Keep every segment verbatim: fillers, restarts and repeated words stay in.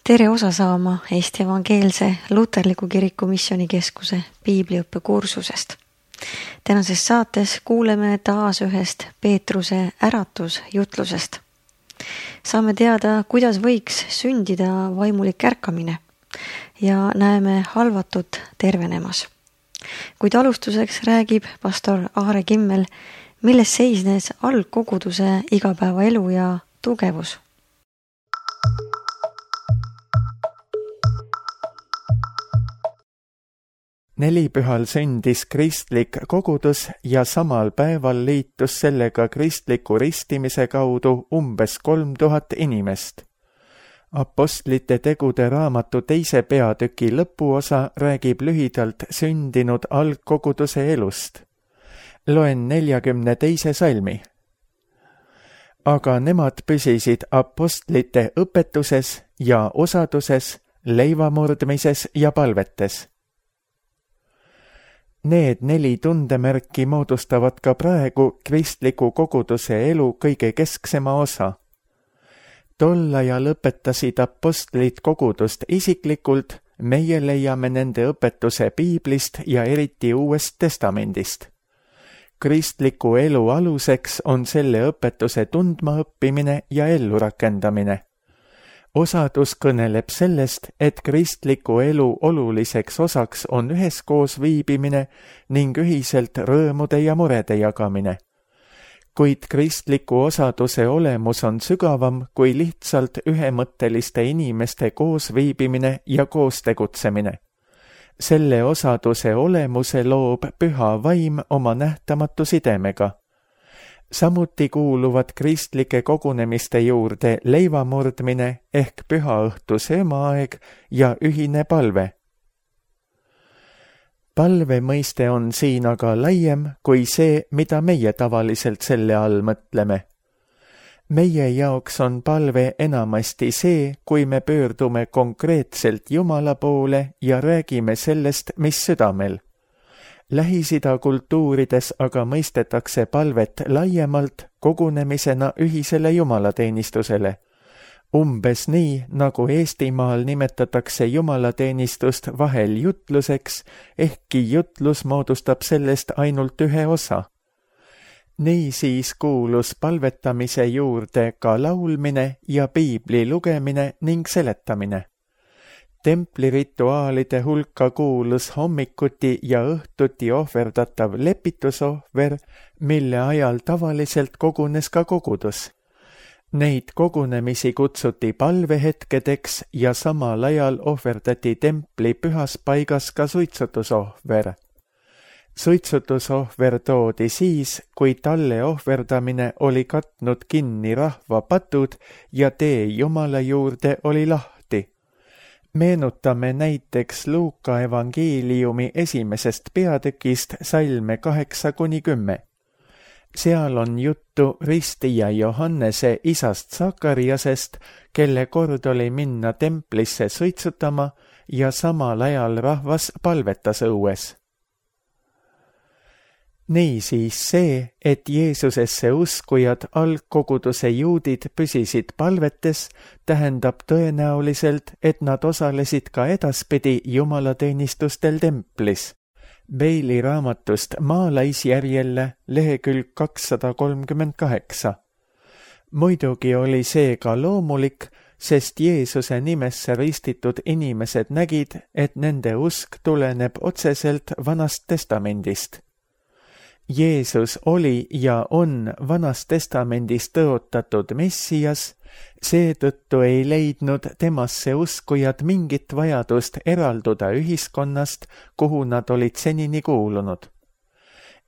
Tere osa saama Eesti Evangeelse Luterliku Kiriku Missioonikeskuse piibliõppe kursusest. Tänases saates kuuleme taas ühest Peetruse äratusjutlusest. Saame teada, kuidas võiks sündida vaimulik ärkamine ja näeme halvatut tervenemas. Kuid alustuseks räägib pastor Aare Kimmel, milles seisnes algkoguduse igapäevaelu ja tugevus. Nelipühal sündis kristlik kogudus ja samal päeval liitus sellega kristliku ristimise kaudu umbes kolm tuhat inimest. Apostlite tegude raamatu teise peatüki lõpuosa räägib lühidalt sündinud algkoguduse elust. Loen neljakümne teise salmi. Aga nemad püsisid apostlite õpetuses ja osaduses, leivamurdmises ja palvetes. Need neli tundemärki moodustavad ka praegu kristliku koguduse elu kõige kesksema osa. Tol ajal lõpetasid apostlid kogudust isiklikult, meie leiame nende õpetuse piiblist ja eriti Uuest Testamendist. Kristliku elu aluseks on selle õpetuse tundmaõppimine ja ellurakendamine. Osadus kõneleb sellest, et kristliku elu oluliseks osaks on üheskoos viibimine ning ühiselt rõõmude ja murede jagamine. Kuid kristliku osaduse olemus on sügavam kui lihtsalt ühemõtteliste inimeste koos viibimine ja koos tegutsemine. Selle osaduse olemuse loob püha vaim oma nähtamatu sidemega. Samuti kuuluvad kristlike kogunemiste juurde leivamurdmine ehk pühaõhtu söömaaeg ja ühine palve. Palve mõiste on siin aga laiem kui see, mida meie tavaliselt selle all mõtleme. Meie jaoks on palve enamasti see, kui me pöördume konkreetselt Jumala poole ja räägime sellest, mis südamel. Lähis-Ida kultuurides aga mõistetakse palvet laiemalt kogunemisena ühisele jumalateenistusele. Umbes nii, nagu Eestimaal nimetatakse jumalateenistust vahel jutluseks, ehkki jutlus moodustab sellest ainult ühe osa. Nii siis kuulus palvetamise juurde ka laulmine ja piibli lugemine ning seletamine. Templirituaalide hulka kuulus hommikuti ja õhtuti ohverdatav lepitusohver, mille ajal tavaliselt kogunes ka kogudus. Neid kogunemisi kutsuti palvehetkedeks ja samal ajal ohverdati templi pühas paigas ka suitsutusohver. Suitsutusohver toodi siis, kui talle ohverdamine oli katnud kinni rahva patud ja tee Jumala juurde oli lahti. Meenutame näiteks Luuka evangeeliumi esimesest peatükist salme kaheksa kuni kümme. Seal on juttu ristija Johannese isast Sakariasest, kelle kord oli minna templisse suitsutama ja samal ajal rahvas palvetas õues. Niisiis see, et Jeesusesse uskujad algkoguduse juudid püsisid palvetes, tähendab tõenäoliselt, et nad osalesid ka edaspidi jumalateenistustel templis. Beili raamatust Maalaisjärjelle lehekülg kakssada kolmkümmend kaheksa. Muidugi oli see ka loomulik, sest Jeesuse nimesse ristitud inimesed nägid, et nende usk tuleneb otseselt Vanast Testamendist. Jeesus oli ja on Vanas Testamendis tõotatud Messias, seetõttu ei leidnud temasse uskujad mingit vajadust eralduda ühiskonnast, kuhu nad olid senini kuulunud.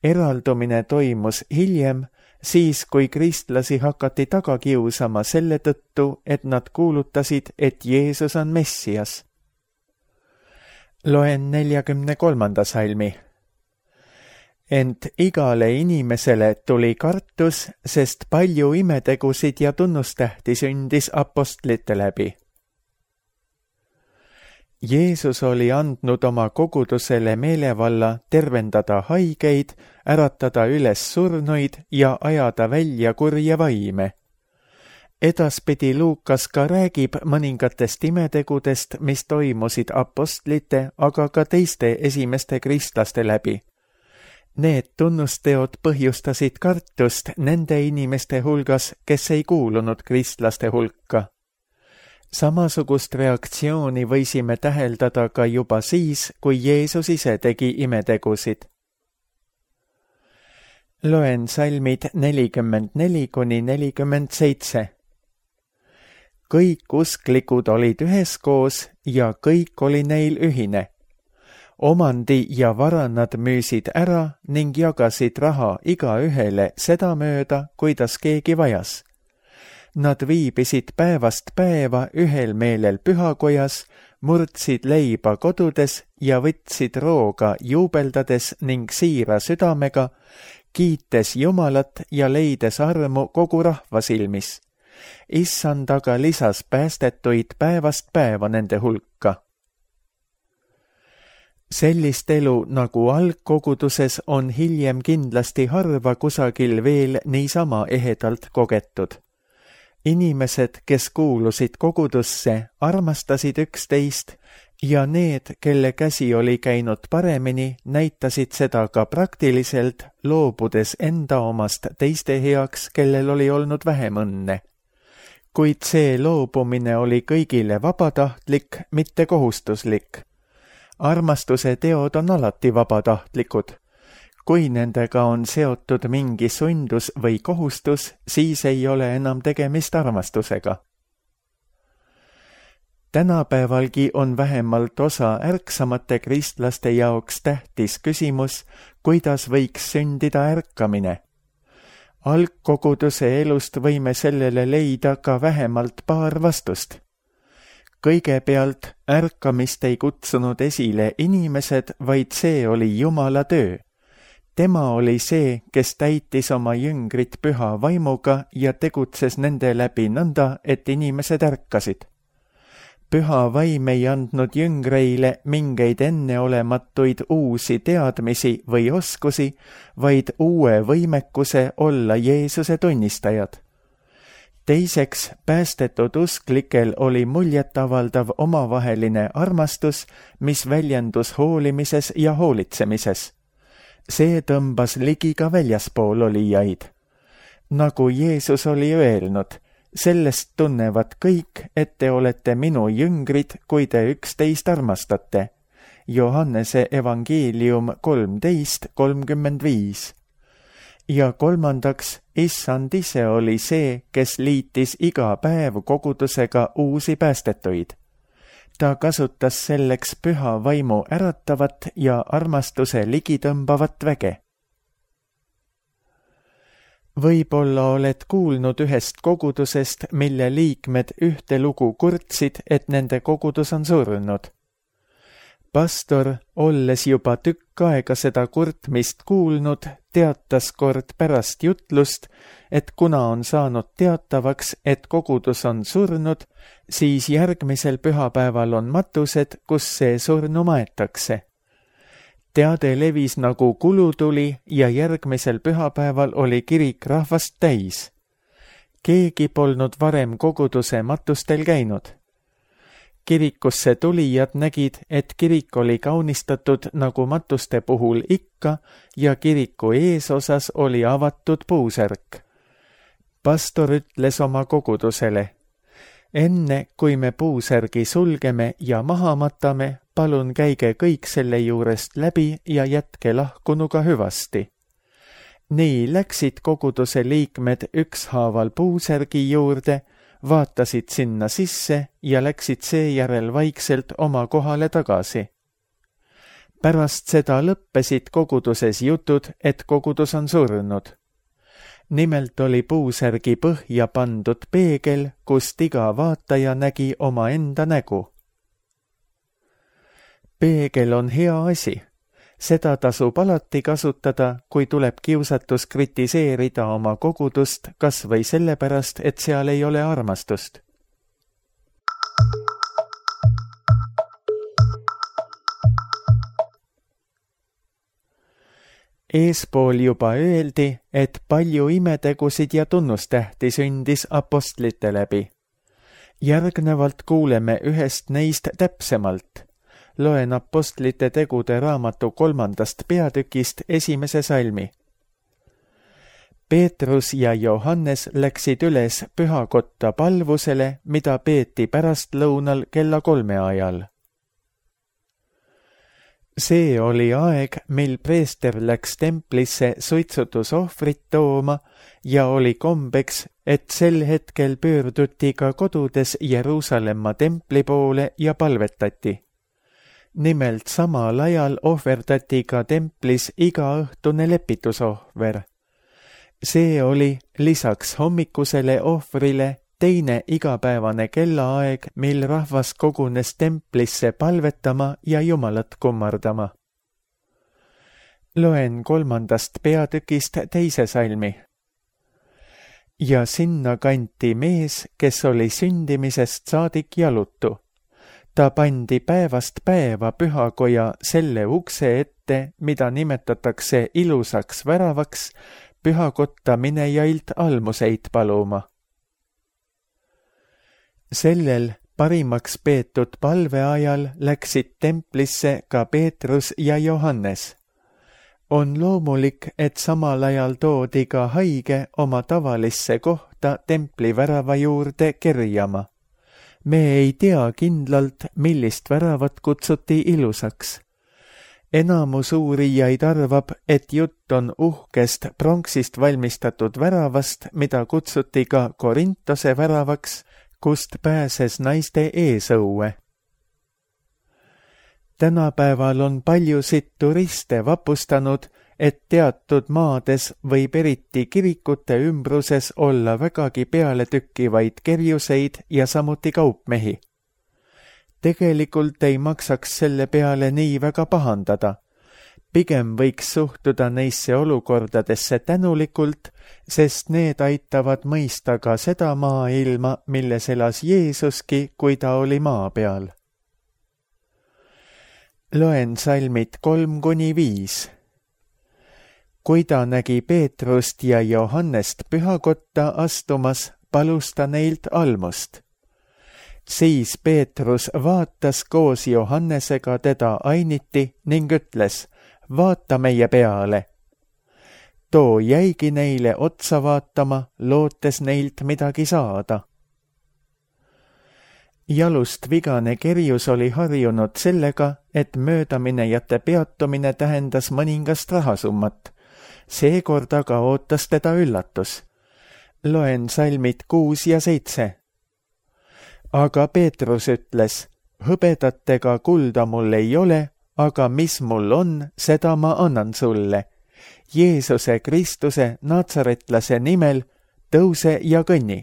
Eraldumine toimus hiljem, siis kui kristlasi hakati taga kiusama selle tõttu, et nad kuulutasid, et Jeesus on Messias. Loen neljakümne kolmanda salmi. Ent igale inimesele tuli kartus, sest palju imetegusid ja tunnustähti sündis apostlite läbi. Jeesus oli andnud oma kogudusele meelevalla tervendada haigeid, äratada üles surnuid ja ajada välja kurja vaime. Edaspidi Luukas ka räägib mõningatest imetegudest, mis toimusid apostlite, aga ka teiste esimeste kristlaste läbi. Need tunnusteod põhjustasid kartust nende inimeste hulgas, kes ei kuulunud kristlaste hulka. Samasugust reaktsiooni võisime täheldada ka juba siis, kui Jeesus ise tegi imetegusid. Loen salmid nelikümmend neli kuni nelikümmend seitse. Kõik usklikud olid üheskoos ja kõik oli neil ühine. Omandi ja vara nad müüsid ära ning jagasid raha igaühele sedamööda, kuidas keegi vajas. Nad viibisid päevast päeva ühel meelel pühakojas, murdsid leiba kodudes ja võtsid rooga juubeldades ning siira südamega, kiites Jumalat ja leides armu kogu rahva silmis. Issand aga lisas päästetuid päevast päeva nende hulka. Sellist elu nagu algkoguduses on hiljem kindlasti harva kusagil veel niisama ehedalt kogetud. Inimesed, kes kuulusid kogudusse, armastasid üksteist ja need, kelle käsi oli käinud paremini, näitasid seda ka praktiliselt, loobudes enda omast teiste heaks, kellel oli olnud vähem õnne. Kuid see loobumine oli kõigile vabatahtlik, mitte kohustuslik. Armastuse teod on alati vabatahtlikud. Kui nendega on seotud mingi sundus või kohustus, siis ei ole enam tegemist armastusega. Tänapäevalgi on vähemalt osa ärksamate kristlaste jaoks tähtis küsimus, kuidas võiks sündida ärkamine. Algkoguduse elust võime sellele leida ka vähemalt paar vastust. Kõigepealt ärkamist ei kutsunud esile inimesed, vaid see oli Jumala töö. Tema oli see, kes täitis oma jüngrit püha vaimuga ja tegutses nende läbi nõnda, et inimesed ärkasid. Püha vaim ei andnud jüngreile mingeid enneolematuid uusi teadmisi või oskusi, vaid uue võimekuse olla Jeesuse tunnistajad. Teiseks, päästetud usklikel oli muljetavaldav omavaheline armastus, mis väljendus hoolimises ja hoolitsemises. See tõmbas ligi ka väljaspool olijaid. Nagu Jeesus oli öelnud, sellest tunnevad kõik, et te olete minu jüngrid, kui te üksteist armastate. Johannese evangeelium kolmteist kolmkümmend viis. Ja kolmandaks, Issand ise oli see, kes liitis iga päev kogudusega uusi päästetuid. Ta kasutas selleks püha vaimu äratavat ja armastuse ligitõmbavat väge. Võib-olla oled kuulnud ühest kogudusest, mille liikmed ühte lugu kurtsid, et nende kogudus on surnud. Pastor, olles juba tükk aega seda kurtmist kuulnud, teatas kord pärast jutlust, et kuna on saanud teatavaks, et kogudus on surnud, siis järgmisel pühapäeval on matused, kus see surnu maetakse. Teade levis nagu kulutuli ja järgmisel pühapäeval oli kirik rahvast täis. Keegi polnud varem koguduse matustel käinud. Kirikusse tulijad nägid, et kirik oli kaunistatud nagu matuste puhul ikka ja kiriku eesosas oli avatud puusärk. Pastor ütles oma kogudusele: enne kui me puusärgi sulgeme ja maha matame, palun käige kõik selle juurest läbi ja jätke lahkunuga hüvasti. Nii läksid koguduse liikmed ükshaaval puusärgi juurde, vaatasid sinna sisse ja läksid seejärel vaikselt oma kohale tagasi. Pärast seda lõppesid koguduses jutud, et kogudus on surnud. Nimelt oli puusärgi põhja pandud peegel, kust iga vaataja nägi oma enda nägu. Peegel on hea asi. Seda tasub alati kasutada, kui tuleb kiusatus kritiseerida oma kogudust, kas või sellepärast, et seal ei ole armastust. Eespool juba öeldi, et palju imetegusid ja tunnustähti sündis apostlite läbi. Järgnevalt kuuleme ühest neist täpsemalt. Loen apostlite tegude raamatu kolmandast peatükist esimese salmi. Peetrus ja Johannes läksid üles pühakotta palvusele, mida peeti pärastlõunal kella kolme ajal. See oli aeg, mil preester läks templisse suitsutusohvrit tooma ja oli kombeks, et sel hetkel pöörduti ka kodudes Jeruusalemma templi poole ja palvetati. Nimelt samal ajal ohverdati ka templis igaõhtune lepitusohver. See oli lisaks hommikusele ohvrile teine igapäevane kellaaeg, mil rahvas kogunes templisse palvetama ja Jumalat kummardama. Loen kolmandast peatükist teise salmi. Ja sinna kanti mees, kes oli sündimisest saadik jalutu. Ta pandi päevast päeva pühakoja selle ukse ette, mida nimetatakse ilusaks väravaks, pühakotta minejailt almuseid paluma. Sellel parimaks peetud palveajal läksid templisse ka Peetrus ja Johannes. On loomulik, et samal ajal toodi ka haige oma tavalisse kohta templi värava juurde kerjama. Me ei tea kindlalt, millist väravat kutsuti ilusaks. Enamus uurijaid arvab, et jutt on uhkest pronksist valmistatud väravast, mida kutsuti ka Korintose väravaks, kust pääses naiste eesõue. Tänapäeval on paljusid turiste vapustanud, et teatud maades võib eriti kirikute ümbruses olla vägagi pealetükkivaid kerjuseid ja samuti kaupmehi. Tegelikult ei maksaks selle peale nii väga pahandada. Pigem võiks suhtuda neisse olukordadesse tänulikult, sest need aitavad mõista ka seda maailma, milles elas Jeesuski, kui ta oli maa peal. Loen salmid kolm kuni viis. Kui ta nägi Peetrust ja Johannest pühakotta astumas, palus ta neilt almust. Siis Peetrus vaatas koos Johannesega teda ainiti ning ütles, vaata meie peale. Too jäigi neile otsa vaatama, lootes neilt midagi saada. Jalust vigane kerjus oli harjunud sellega, et möödaminejate peatumine tähendas mõningast rahasummat. Seekord aga ootas teda üllatus. Loen salmid kuus ja seitse. Aga Peetrus ütles, hõbedatega kulda mul ei ole, aga mis mul on, seda ma annan sulle. Jeesuse Kristuse natsaretlase nimel tõuse ja kõnni.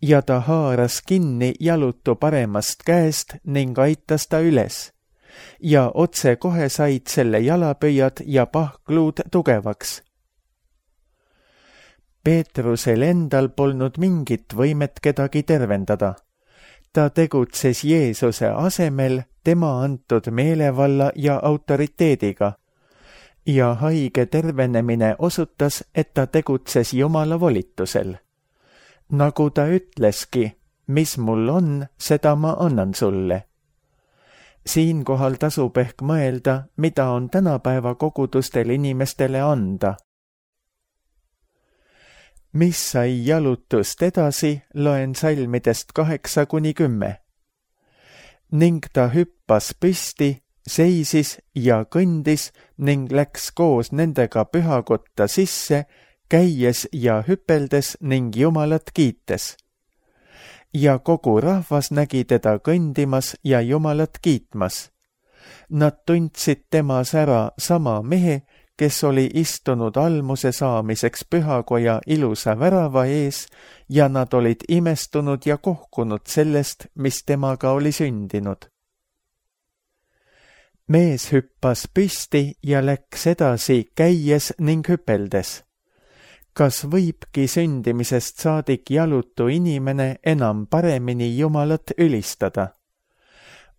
Ja ta haaras kinni jalutu paremast käest ning aitas ta üles. Ja otse kohe said selle jalapöiad ja pahkluud tugevaks. Peetrusel endal polnud mingit võimet kedagi tervendada. Ta tegutses Jeesuse asemel tema antud meelevalla ja autoriteediga. Ja haige tervenemine osutas, et ta tegutses Jumala volitusel. Nagu ta ütleski, mis mul on, seda ma annan sulle. Siinkohal tasub ehk mõelda, mida on tänapäeva kogudustel inimestele anda. Mis sai jalutust edasi, loen salmidest kaheksa kuni kümme. Ning ta hüppas püsti, seisis ja kõndis ning läks koos nendega pühakotta sisse, käies ja hüpeldes ning Jumalat kiites. Ja kogu rahvas nägi teda kõndimas ja Jumalat kiitmas. Nad tundsid temas ära sama mehe, kes oli istunud almuse saamiseks pühakoja ilusa värava ees ja nad olid imestunud ja kohkunud sellest, mis temaga oli sündinud. Mees hüppas püsti ja läks edasi käies ning hüpeldes. Kas võibki sündimisest saadik jalutu inimene enam paremini Jumalat ülistada?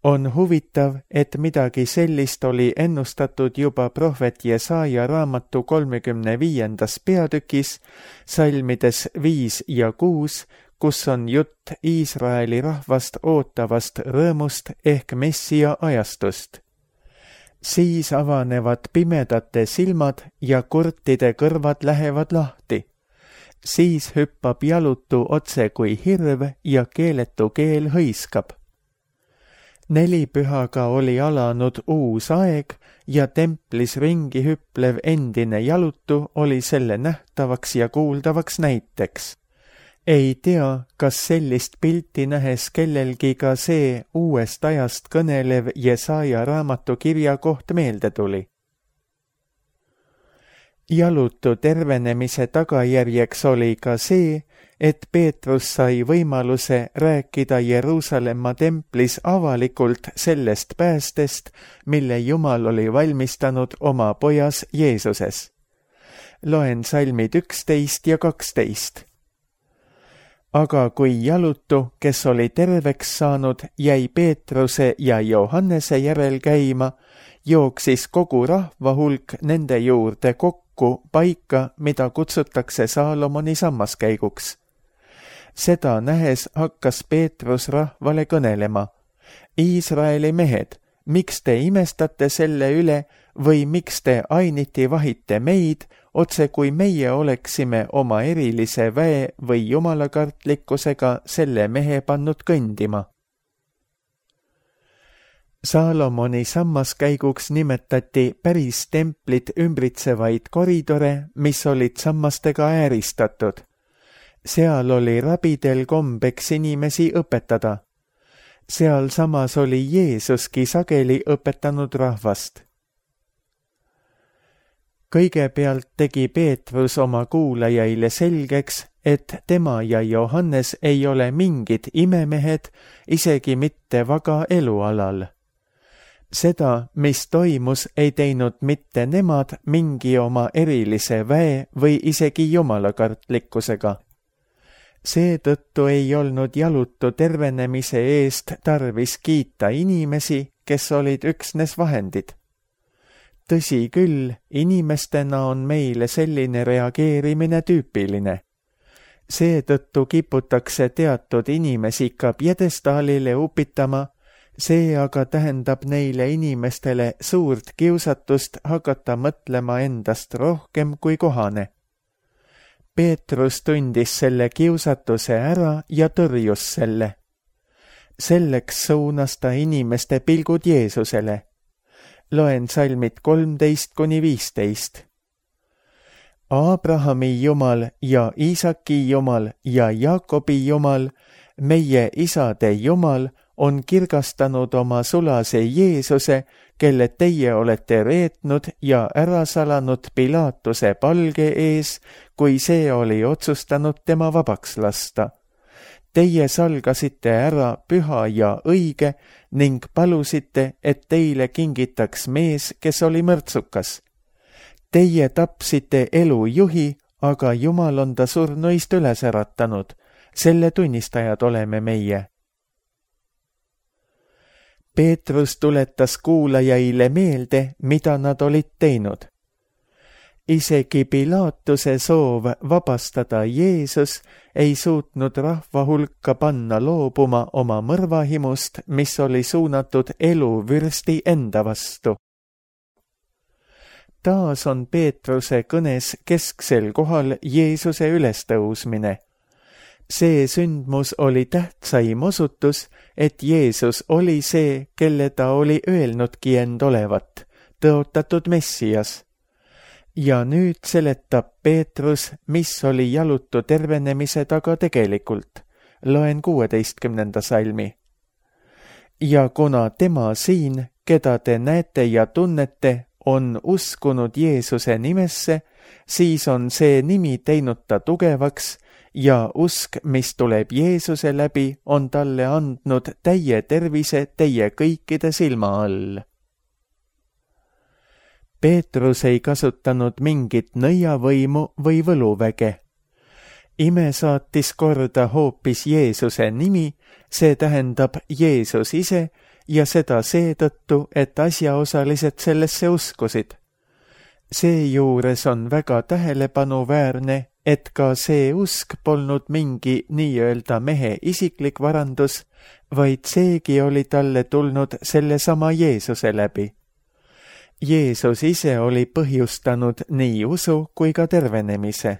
On huvitav, et midagi sellist oli ennustatud juba prohvet Jesaja raamatu kolmekümne viiendas peatükis, salmides viis ja kuus, kus on jutt Iisraeli rahvast ootavast rõõmust ehk Messia ajastust. Siis avanevad pimedate silmad ja kurtide kõrvad lähevad lahti. Siis hüppab jalutu otse kui hirv ja keeletu keel hõiskab. Nelipühaga oli alanud uus aeg ja templis ringi hüplev endine jalutu oli selle nähtavaks ja kuuldavaks näiteks. Ei tea, kas sellist pilti nähes kellelgi ka see uuest ajast kõnelev Jesaja raamatu kirja koht meelde tuli. Jalutu tervenemise tagajärjeks oli ka see, et Peetrus sai võimaluse rääkida Jeruusalemma templis avalikult sellest päästest, mille Jumal oli valmistanud oma pojas Jeesuses. Loen salmid üksteist ja kaksteist. Aga kui jalutu, kes oli terveks saanud, jäi Peetruse ja Johannese järel käima, jooksis kogu rahva hulk nende juurde kokku paika, mida kutsutakse Saalomoni sammaskäiguks. Seda nähes hakkas Peetrus rahvale kõnelema. Iisraeli mehed, miks te imestate selle üle või miks te ainiti vahite meid, otse kui meie oleksime oma erilise väe või jumalakartlikkusega selle mehe pannud kõndima? Saalomoni sammaskäiguks nimetati päris templit ümbritsevaid koridore, mis olid sammastega ääristatud. Seal oli rabidel kombeks inimesi õpetada. Seal samas oli Jeesuski sageli õpetanud rahvast. Kõigepealt tegi Peetrus oma kuulajaile selgeks, et tema ja Johannes ei ole mingid imemehed, isegi mitte vaga elualal. Seda, mis toimus, ei teinud mitte nemad mingi oma erilise väe või isegi jumalakartlikkusega. Seetõttu ei olnud jalutu tervenemise eest tarvis kiita inimesi, kes olid üksnes vahendid. Tõsi küll, inimestena on meile selline reageerimine tüüpiline. Seetõttu kiputakse teatud inimesi ka pjedestaalile upitama, see aga tähendab neile inimestele suurt kiusatust hakata mõtlema endast rohkem kui kohane. Peetrus tundis selle kiusatuse ära ja tõrjus selle. Selleks suunas ta inimeste pilgud Jeesusele. Loen salmid kolmteist kuni viisteist. Abrahami Jumal ja Iisaki Jumal ja Jaakobi Jumal, meie isade Jumal, on kirgastanud oma sulase Jeesuse, kelle teie olete reetnud ja ära salanud Pilaatuse palge ees, kui see oli otsustanud tema vabaks lasta. Teie salgasite ära püha ja õige ning palusite, et teile kingitaks mees, kes oli mõrtsukas. Teie tapsite elu juhi, aga Jumal on ta surnuist üles äratanud. Selle tunnistajad oleme meie. Peetrus tuletas kuulajaile meelde, mida nad olid teinud. Isegi Pilaatuse soov vabastada Jeesus ei suutnud rahva hulka panna loobuma oma mõrvahimust, mis oli suunatud eluvürsti enda vastu. Taas on Peetruse kõnes kesksel kohal Jeesuse ülestõusmine. See sündmus oli tähtsaim osutus, et Jeesus oli see, kelle ta oli öelnudki end olevat, tõotatud Messias. Ja nüüd seletab Peetrus, mis oli jalutu tervenemise taga tegelikult. Loen kuueteistkümnenda salmi. Ja kuna tema siin, keda te näete ja tunnete, on uskunud Jeesuse nimesse, siis on see nimi teinud ta tugevaks, ja usk, mis tuleb Jeesuse läbi, on talle andnud täie tervise teie kõikide silma all. Peetrus ei kasutanud mingit nõiavõimu või võluväge. Ime saatis korda hoopis Jeesuse nimi, see tähendab Jeesus ise, ja seda seetõttu, et asjaosalised sellesse uskusid. Seejuures on väga tähelepanuväärne, et ka see usk polnud mingi nii-öelda mehe isiklik varandus, vaid seegi oli talle tulnud sellesama Jeesuse läbi. Jeesus ise oli põhjustanud nii usu kui ka tervenemise.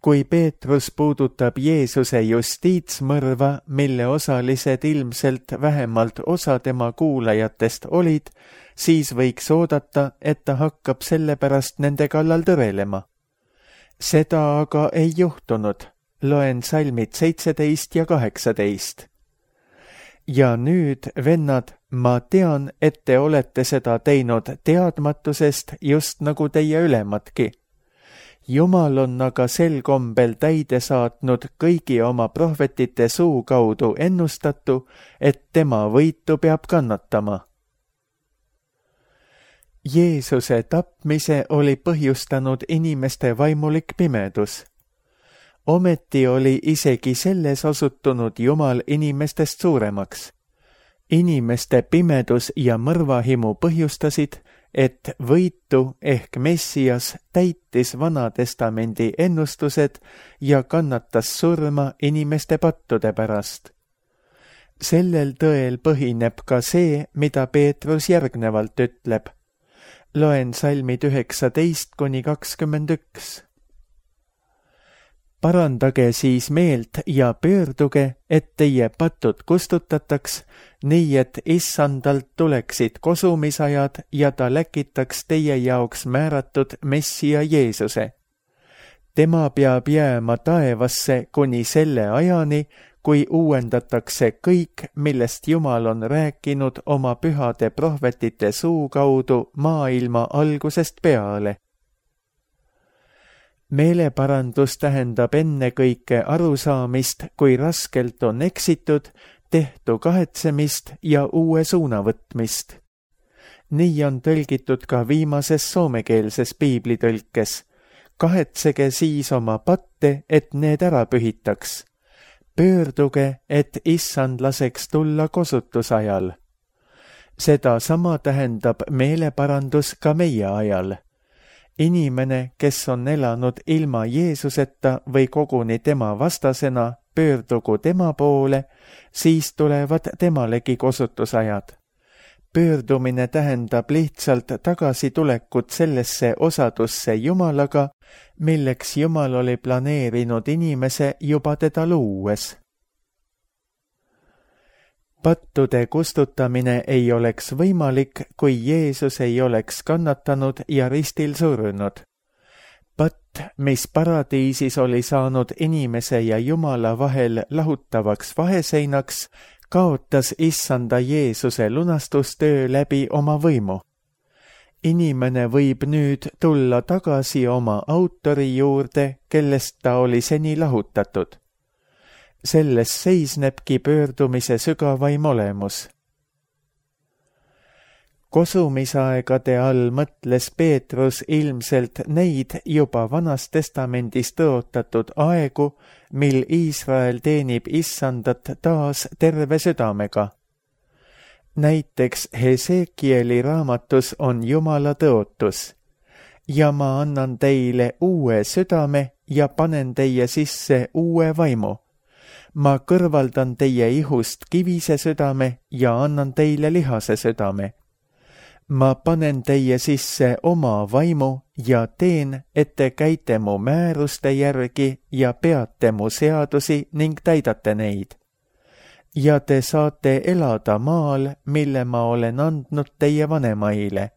Kui Peetrus puudutab Jeesuse justiitsmõrva, mille osalised ilmselt vähemalt osa tema kuulajatest olid, siis võiks oodata, et ta hakkab sellepärast nende kallal tõrelema. Seda aga ei juhtunud. Loen salmid seitseteist ja kaheksateist. Ja nüüd, vennad, ma tean, et te olete seda teinud teadmatusest just nagu teie ülemadki. Jumal on aga sel kombel täide saatnud kõigi oma prohvetite suu kaudu ennustatu, et tema võitu peab kannatama. Jeesuse tapmise oli põhjustanud inimeste vaimulik pimedus. Ometi oli isegi selles osutunud Jumal inimestest suuremaks. Inimeste pimedus ja mõrvahimu põhjustasid, et võitu ehk Messias täitis Vana Testamendi ennustused ja kannatas surma inimeste pattude pärast. Sellel tõel põhineb ka see, mida Peetrus järgnevalt ütleb. Loen salmid üheksateist kuni kakskümmend üks. Parandage siis meelt ja pöörduge, et teie patud kustutataks, nii et issandalt tuleksid kosumisajad ja ta läkitaks teie jaoks määratud Messia Jeesuse. Tema peab jääma taevasse kuni selle ajani, kui uuendatakse kõik, millest Jumal on rääkinud oma pühade prohvetite suu kaudu maailma algusest peale. Meeleparandus tähendab ennekõike arusaamist, kui raskelt on eksitud, tehtu kahetsemist ja uue suuna võtmist. Nii on tõlgitud ka viimases soomekeelses piiblitõlkes. Kahetsege siis oma patte, et need ära pühitaks. Pöörduge, et issand laseks tulla kosutusajal. Seda sama tähendab meeleparandus ka meie ajal. Inimene, kes on elanud ilma Jeesuseta või koguni tema vastasena, pöördugu tema poole, siis tulevad temalegi kosutusajad. Pöördumine tähendab lihtsalt tagasitulekut sellesse osadusse Jumalaga, milleks Jumal oli planeerinud inimese juba teda luues. Pattude kustutamine ei oleks võimalik, kui Jeesus ei oleks kannatanud ja ristil surnud. Patt, mis paradiisis oli saanud inimese ja Jumala vahel lahutavaks vaheseinaks, kaotas issanda Jeesuse lunastustöö läbi oma võimu. Inimene võib nüüd tulla tagasi oma autori juurde, kellest ta oli seni lahutatud. Selles seisnebki pöördumise sügavaim olemus. Kosumisaegade all mõtles Peetrus ilmselt neid juba Vanas Testamendis tõotatud aegu, mil Iisrael teenib issandat taas terve südamega. Näiteks Hesekieli raamatus on Jumala tõotus. Ja ma annan teile uue südame ja panen teie sisse uue vaimu. Ma kõrvaldan teie ihust kivise südame ja annan teile lihase südame. Ma panen teie sisse oma vaimu ja teen, et te käite mu määruste järgi ja peate mu seadusi ning täidate neid. Ja te saate elada maal, mille ma olen andnud teie vanemaile.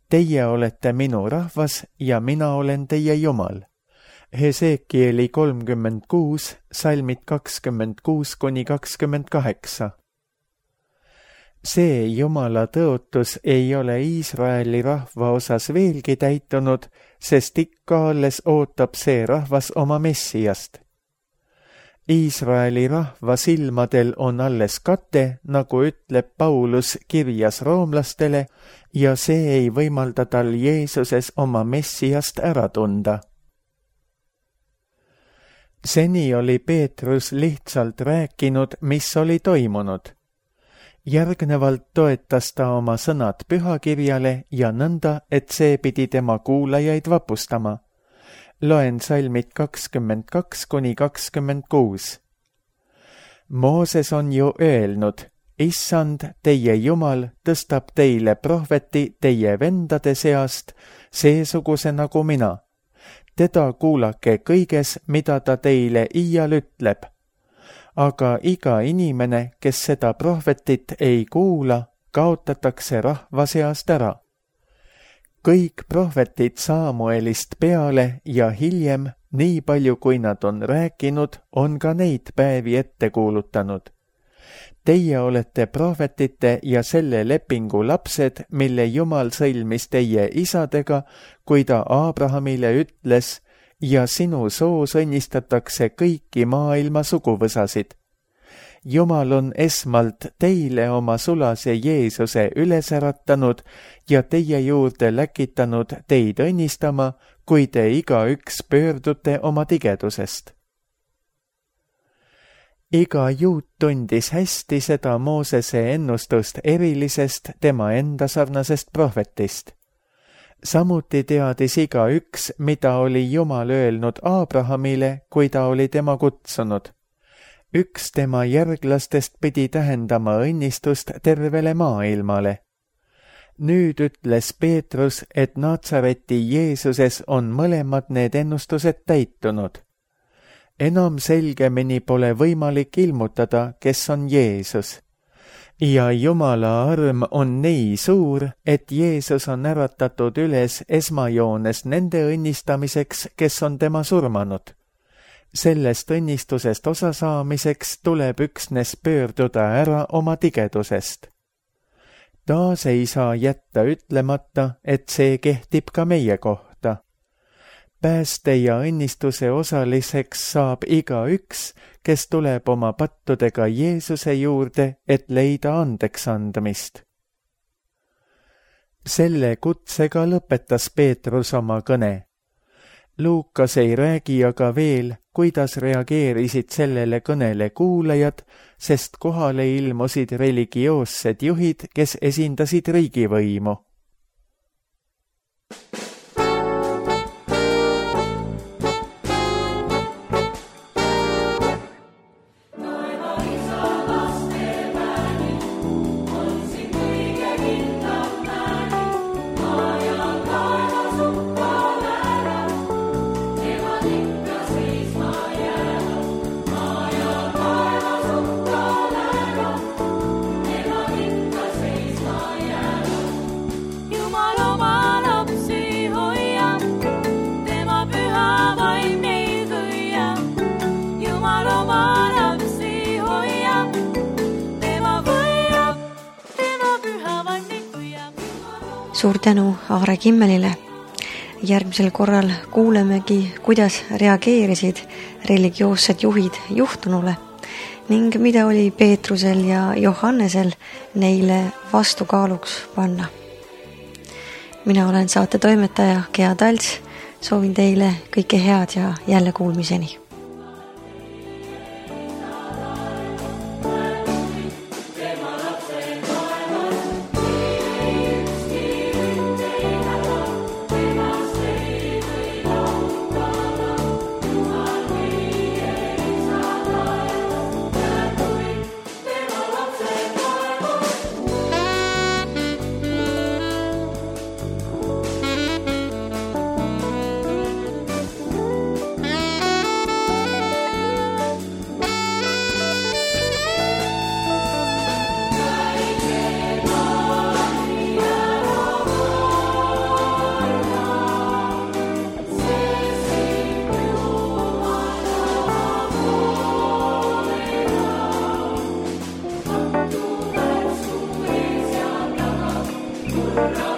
Teie olete minu rahvas ja mina olen teie Jumal. Hesekieli kolmkümmend kuus, salmid kakskümmend kuus kuni kakskümmend kaheksa. See Jumala tõotus ei ole Iisraeli rahva osas veelgi täitunud, sest ikka alles ootab see rahvas oma Messiast. Iisraeli rahva silmadel on alles kate, nagu ütleb Paulus kirjas roomlastele, ja see ei võimalda tal Jeesuses oma Messiast ära tunda. Seni oli Peetrus lihtsalt rääkinud, mis oli toimunud. Järgnevalt toetas ta oma sõnad pühakirjale ja nõnda, et see pidi tema kuulajaid vapustama. Loen salmid kakskümmend kaks kuni kakskümmend kuus. Mooses on ju öelnud, Issand, teie Jumal, tõstab teile prohveti teie vendade seast, seesuguse nagu mina. Teda kuulake kõiges, mida ta teile iial ütleb. Aga iga inimene, kes seda prohvetit ei kuula, kaotatakse rahva seast ära. Kõik prohvetid Samuelist peale ja hiljem, nii palju kui nad on rääkinud, on ka neid päevi ette kuulutanud. Teie olete prohvetite ja selle lepingu lapsed, mille Jumal sõlmis teie isadega, kui ta Abrahamile ütles, ja sinu soos õnnistatakse kõiki maailma suguvõsasid. Jumal on esmalt teile oma sulase Jeesuse üles äratanud ja teie juurde läkitanud teid õnnistama, kui te igaüks pöördute oma tigedusest. Iga juut tundis hästi seda Moosese ennustust erilisest tema enda sarnasest prohvetist. Samuti teadis igaüks, mida oli Jumal öelnud Abrahamile, kui ta oli tema kutsunud. Üks tema järglastest pidi tähendama õnnistust tervele maailmale. Nüüd ütles Peetrus, et Natsareti Jeesuses on mõlemad need ennustused täitunud. Enam selgemini pole võimalik ilmutada, kes on Jeesus. Ja Jumala arm on nii suur, et Jeesus on äratatud üles esmajoones nende õnnistamiseks, kes on tema surmanud. Sellest õnnistusest osa saamiseks tuleb üksnes pöörduda ära oma tigedusest. Taas ei saa jätta ütlemata, et see kehtib ka meie kohta. Pääste ja õnnistuse osaliseks saab igaüks, kes tuleb oma pattudega Jeesuse juurde, et leida andeks andmist. Selle kutsega lõpetas Peetrus oma kõne. Luukas ei räägi aga veel, kuidas reageerisid sellele kõnele kuulajad, sest kohale ilmusid religioossed juhid, kes esindasid riigivõimu. Suur tänu Aare Kimmelile. Järgmisel korral kuulemegi, kuidas reageerisid religioossed juhid juhtunule ning mida oli Peetrusel ja Johannesel neile vastukaaluks panna. Mina olen saate toimetaja Gea Talts, soovin teile kõike head ja jälle kuulmiseni. Amen.